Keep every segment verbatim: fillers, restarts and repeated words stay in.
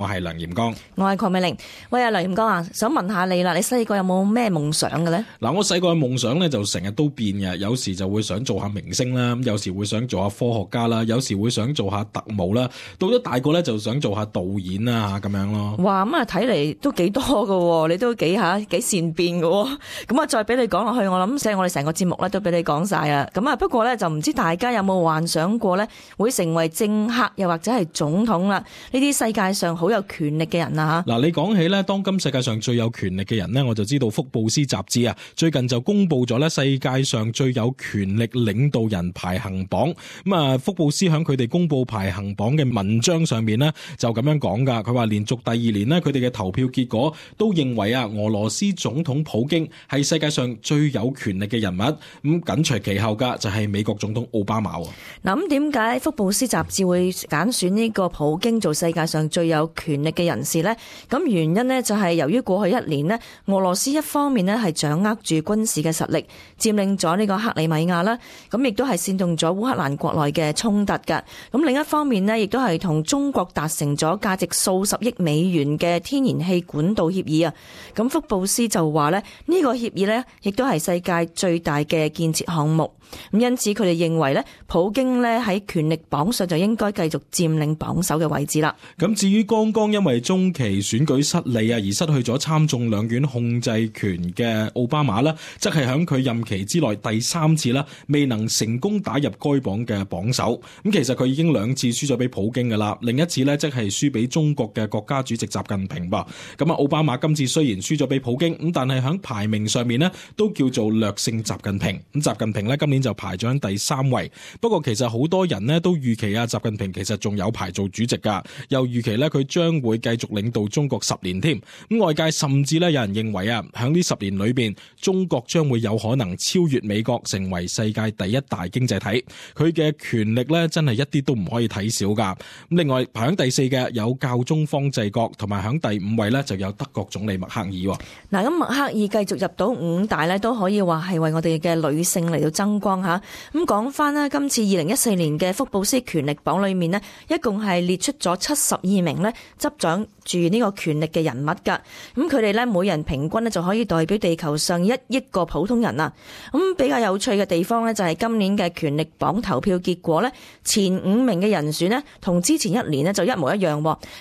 我係梁炎光，我係鄺美玲。喂，阿梁炎光啊，想問下你啦，你細個有冇咩夢想嘅咧？嗱，我細個嘅夢想咧就成日都變嘅，有時就會想做下明星啦，咁有時會想做下科學家啦，有時會想做下特務啦，到咗大個咧就想做下導演啊咁樣咯。哇，咁啊睇嚟都幾多㗎，你都幾吓幾善變㗎。咁啊，再俾你講落去，我諗即係我哋成個節目咧都俾你講晒啊。咁啊，不過咧就唔知大家有冇幻想過咧會成為政客又或者係總統啦？呢啲世界上好有權力嘅人啊吓。嗱，你講起咧，當今世界上最有權力嘅人呢，我就知道福布斯雜誌啊，最近就公布咗咧世界上最有權力領導人排行榜。咁啊，福布斯響佢哋公布排行榜嘅文章上面呢，就咁樣講噶。佢話連續第二年呢，佢哋嘅投票結果都認為啊，俄羅斯總統普京係世界上最有權力嘅人物。咁緊隨其後噶就係美國總統奧巴馬。嗱，咁點解福布斯雜誌會揀選呢個普京做世界上最有權力嘅人士呢？咁原因呢，就係由於過去一年呢，俄羅斯一方面呢係掌握住軍事嘅實力，佔領咗呢個克里米亞啦，咁亦都係煽動咗烏克蘭國內嘅衝突㗎。咁另一方面呢，亦都係同中國達成咗價值數十億美元嘅天然氣管道協議啊。咁福布斯就話呢，呢個協議呢，亦都係世界最大嘅建設項目。咁因此佢哋認為咧，普京咧喺權力榜上就應該繼續佔領榜首嘅位置啦。咁至於剛剛因為中期選舉失利啊而失去咗參眾兩院控制權嘅奧巴馬呢，則係喺佢任期之內第三次啦，未能成功打入該榜嘅榜首。咁其實佢已經兩次輸咗俾普京噶啦，另一次呢，即係輸俾中國嘅國家主席習近平噃。咁啊，奧巴馬今次雖然輸咗俾普京，咁但係喺排名上面呢，都叫做略勝習近平。咁習近平呢，今年就排咗喺第三位，不過其實好多人呢都預期啊，習近平其實仲有排做主席噶，又預期呢佢將會繼續領導中國十年添。咁外界甚至呢有人認為啊，喺呢十年裏邊，中國將會有可能超越美國，成為世界第一大經濟體。佢嘅權力呢真係一啲都唔可以睇小噶。咁另外排喺第四嘅有教宗方濟各，同埋喺第五位呢就有德國總理默克爾。嗱，咁默克爾繼續入到五大呢，都可以話係為我哋嘅女性嚟到爭光吓。咁講翻啦，今次二零一四年嘅福布斯權力榜裏面呢，一共係列出咗七十二名呢執掌住呢個權力嘅人物噶。咁佢哋呢，每人平均呢就可以代表地球上一億個普通人啊。咁比較有趣嘅地方呢，就係今年嘅權力榜投票結果呢，前五名嘅人選呢，同之前一年呢就一模一樣。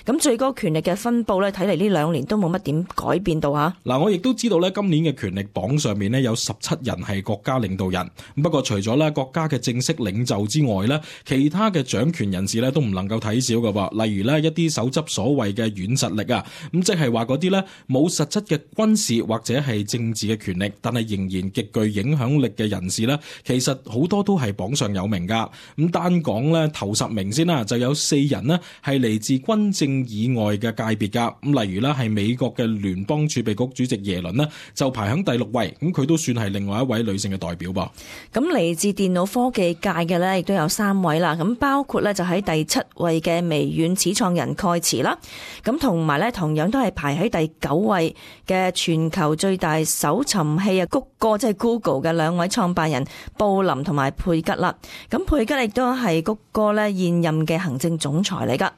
咁最高權力嘅分佈呢，睇嚟呢兩年都冇乜點改變到吓。嗱，我亦都知道呢，今年嘅權力榜上面呢，有十七人係國家領導人。不過除咗咧國家嘅正式領袖之外咧，其他嘅掌權人士咧都唔能夠睇小噶噃。例如咧一啲手執所謂嘅軟實力啊，咁即係話嗰啲咧冇實質嘅軍事或者係政治嘅權力，但係仍然極具影響力嘅人士咧，其實好多都係榜上有名噶。咁單講咧頭十名先啦，就有四人呢係嚟自軍政以外嘅界別噶。咁例如咧係美國嘅聯邦儲備局主席耶倫呢，就排喺第六位，咁佢都算係另外一位女性嘅代表噃。咁嚟自電腦科技界嘅咧，亦都有三位啦。咁包括咧就喺第七位嘅微軟始創人蓋茨啦。咁同埋咧，同樣都係排喺第九位嘅全球最大搜尋器啊谷歌，即係 Google 嘅兩位創辦人布林同埋佩吉啦。咁佩吉亦都係谷歌咧現任嘅行政總裁嚟噶。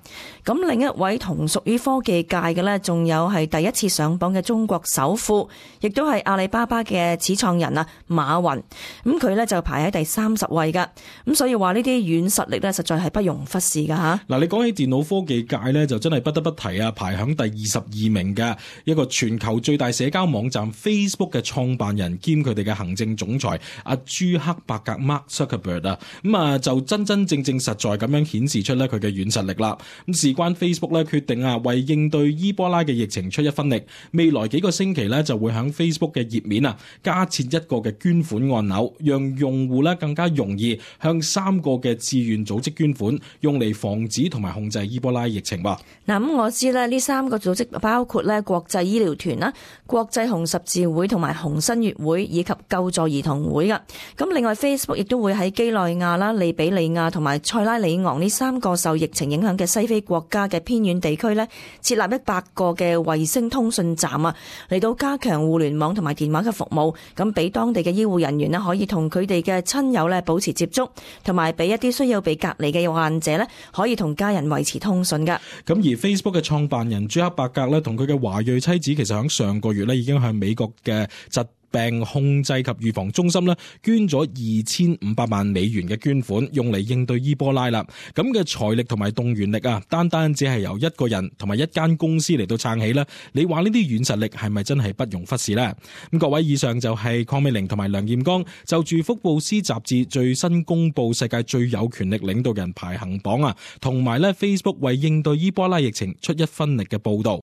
咁另一位同屬於科技界嘅咧，仲有係第一次上榜嘅中國首富，亦都係阿里巴巴嘅始創人啊馬雲。咁佢咧就排喺第三十位噶。咁所以話呢啲軟實力咧，實在係不容忽視噶吓。嗱，你講起電腦科技界咧，就真係不得不提啊，排響第二十二名嘅一個全球最大社交網站 Facebook 嘅創辦人兼佢哋嘅行政總裁阿朱克伯格 Mark Zuckerberg 啊，咁啊就真真正正實在咁樣顯示出咧佢嘅軟實力啦。咁事關 Facebook 咧決定啊為應對伊波拉嘅疫情出一分力，未來幾個星期咧就會響 Facebook 嘅頁面啊加設一個嘅捐款按鈕，讓用戶咧更加容易向三個嘅志願組織捐款，用嚟防止同埋控制伊波拉疫情吧。嗱，咁我知咧呢三個組織包括咧國際醫療團啦、國際紅十字會同埋紅新月會以及救助兒童會噶。咁另外 Facebook 亦都會喺基內亞啦、利比里亞同埋塞拉利昂呢三個受疫情影響嘅西非國家嘅偏遠地區咧，設立一百個嘅衛星通訊站啊，嚟到加強互聯網同埋電話嘅服務，咁俾當地嘅醫護人員咧可以同佢哋嘅親友咧保持接觸，同埋俾一啲需要被隔離嘅患者咧可以同家人維持通訊噶。咁而而 Facebook 嘅創辦人朱克伯格咧，同佢嘅華裔妻子，其實喺上個月咧已經向美國嘅疾病控制及預防中心咧捐咗二千五百萬美元嘅捐款，用嚟應對伊波拉啦。咁嘅財力同埋動員力啊，單單只係由一個人同埋一間公司嚟到撐起啦。你話呢啲軟實力係咪真係不容忽視呢？咁各位，以上就係鄺美玲同埋梁彥剛就住福布斯雜誌最新公布世界最有權力領導人排行榜啊，同埋咧 Facebook 為應對伊波拉疫情出一分力嘅報道。